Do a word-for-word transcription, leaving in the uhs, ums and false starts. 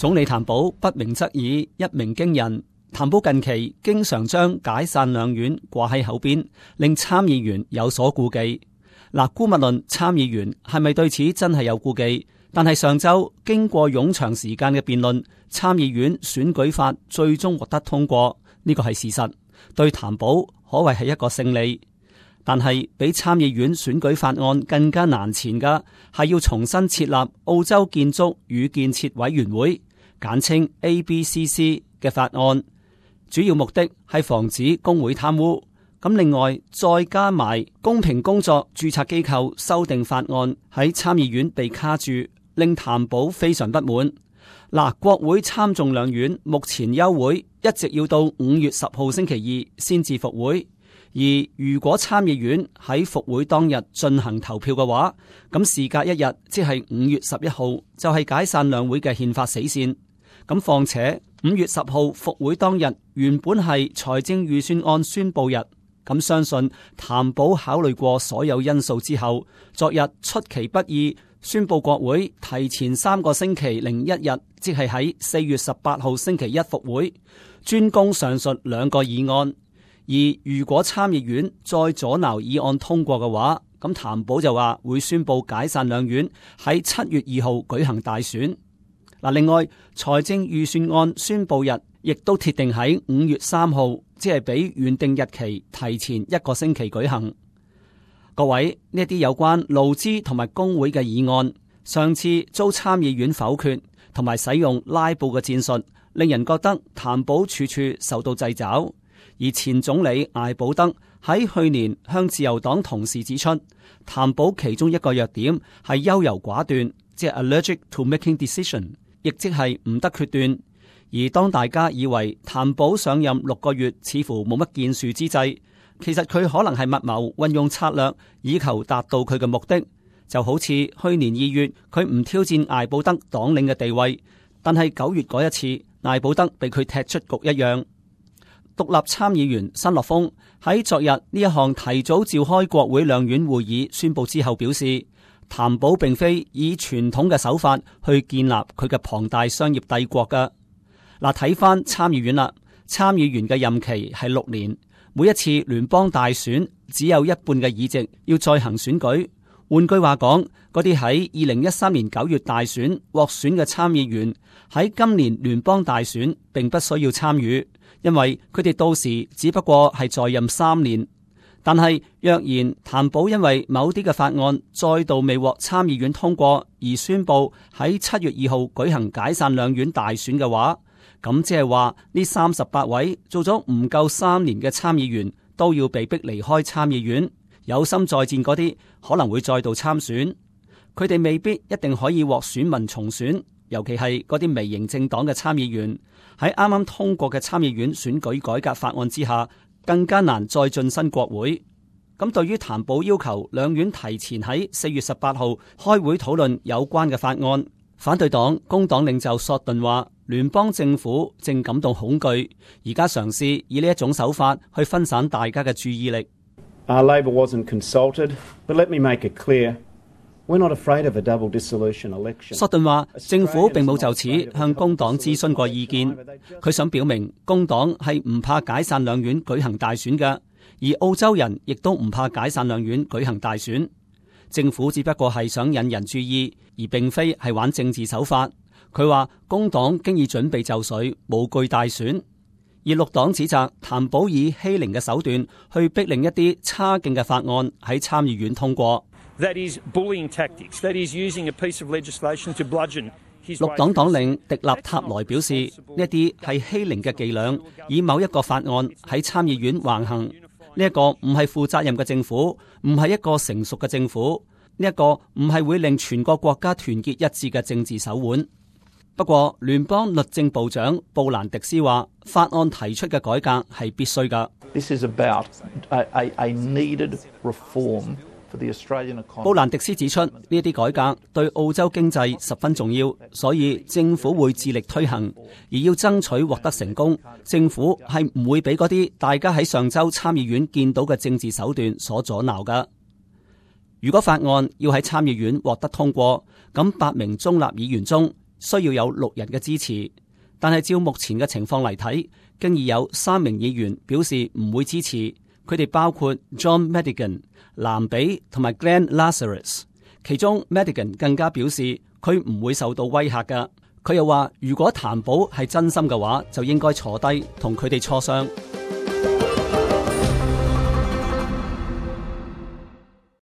總理譚寶不鳴則已，一鳴驚人。譚寶近期經常將解散兩院掛喺口邊，令參議員有所顧忌。嗱，姑勿論參議員係咪對此真係有顧忌，但係上週經過冗長時間嘅辯論，參議院選舉法最終獲得通過，呢個係事實，對譚寶可謂係一個勝利。但係比參議院選舉法案更加難纏嘅係要重新設立澳洲建築與建設委員會，簡稱 A B C C 嘅法案，主要目的係防止工會貪污。咁另外再加埋公平工作註冊機構修訂法案喺參議院被卡住，令譚寶非常不滿。嗱，國會參眾兩院目前休會，一直要到五月十號星期二先至復會。而如果參議院喺復會當日進行投票嘅話，咁事隔一日，即係五月十一號，就係解散兩會嘅憲法死線。咁況且五月十號復會當日原本係財政預算案宣佈日，咁相信譚寶考慮過所有因素之後，昨日出其不意宣佈國會提前三個星期零一日，即係喺四月十八號星期一復會，專攻上述兩個議案。而如果參議院再阻撓議案通過嘅話，咁譚寶就話會宣佈解散兩院，喺七月二號舉行大選。嗱，另外財政預算案宣佈日亦都鐵定喺五月三號，即係比原定日期提前一個星期舉行。各位，呢啲有關勞資同埋工會嘅議案，上次遭參議院否決，同埋使用拉布嘅戰術，令人覺得譚寶處處受到掣肘。而前總理艾保德喺去年向自由黨同事指出，譚寶其中一個弱點係優柔寡斷，即係 allergic to making decision， 亦即係唔得決斷。而當大家以為譚寶上任六個月似乎冇乜建樹之際，其實佢可能係密謀運用策略，以求達到佢嘅目的。就好似去年二月佢唔挑戰艾保德黨領嘅地位，但係九月嗰一次艾保德被佢踢出局一樣。獨立參議員申洛鋒喺昨日呢一項提早召開國會兩院會議宣佈之後表示，譚寶並非以傳統嘅手法去建立佢嘅龐大商業帝國㗎。嗱，睇翻參議院啦，參議員嘅任期係六年，每一次聯邦大選只有一半嘅議席要再行選舉。換句話講，嗰啲喺二零一三年九月大選獲選嘅參議員喺今年聯邦大選並不需要參與，因為佢哋到時只不過係在任三年。但係若然譚寶因為某啲嘅法案再度未獲參議院通過而宣布喺七月二號舉行解散兩院大選嘅話，咁即係話呢三十八位做咗唔夠三年嘅參議員都要被逼離開參議院。有心再戰嗰啲可能會再度參選，佢哋未必一定可以獲選民重選，尤其係嗰啲微型政黨嘅參議員喺啱啱通過嘅參議院選舉改革法案之下，更加難再晉身國會。咁對於譚寶要求兩院提前喺四月十八號開會討論有關嘅法案，反對黨工黨領袖索頓話，聯邦政府正感到恐懼，而家嘗試以呢一種手法去分散大家嘅注意力。Uh, Labor wasn't consulted, but let me make it clear, we're not afraid of a double dissolution election. 索頓話，政府並冇就此向工黨諮詢過意見。佢想表明，工黨係唔怕解散兩院舉行大選嘅，而澳洲人亦都唔怕解散兩院舉行大選。政府只不過係想引人注意，而並非係玩政治手法。佢話，工黨經已準備就緒，無懼大選。而綠黨指責譚寶以欺凌嘅手段去逼令一啲差勁嘅法案喺參議院通過。That is bullying tactics. That is using a piece of legislation to bludgeon his way. 綠黨黨領迪納塔萊表示，呢一啲係欺凌嘅伎倆，以某一個法案喺參議院橫行。呢一個唔係負責任嘅政府，唔係一個成熟嘅政府，呢一個唔係會令全個國家團結一致嘅政治手腕。不過，聯邦律政部長布蘭迪斯話，法案提出嘅改革係必須㗎。This is about a, a, a needed reform for the Australian economy. 布蘭迪斯指出，呢一啲改革對澳洲經濟十分重要，所以政府會致力推行，而要爭取獲得成功，政府係唔會俾嗰啲大家喺上週參議院見到嘅政治手段所阻撓㗎。如果法案要喺參議院獲得通過，咁八名中立議員中，需要有六人嘅支持。但係照目前嘅情況嚟睇，經已有三名議員表示唔會支持。佢哋包括 John Madigan、藍比同埋 Glenn Lazarus。其中 Madigan 更加表示佢唔會受到威嚇㗎。佢又話，如果譚寶係真心嘅話，就應該坐低同佢哋磋商。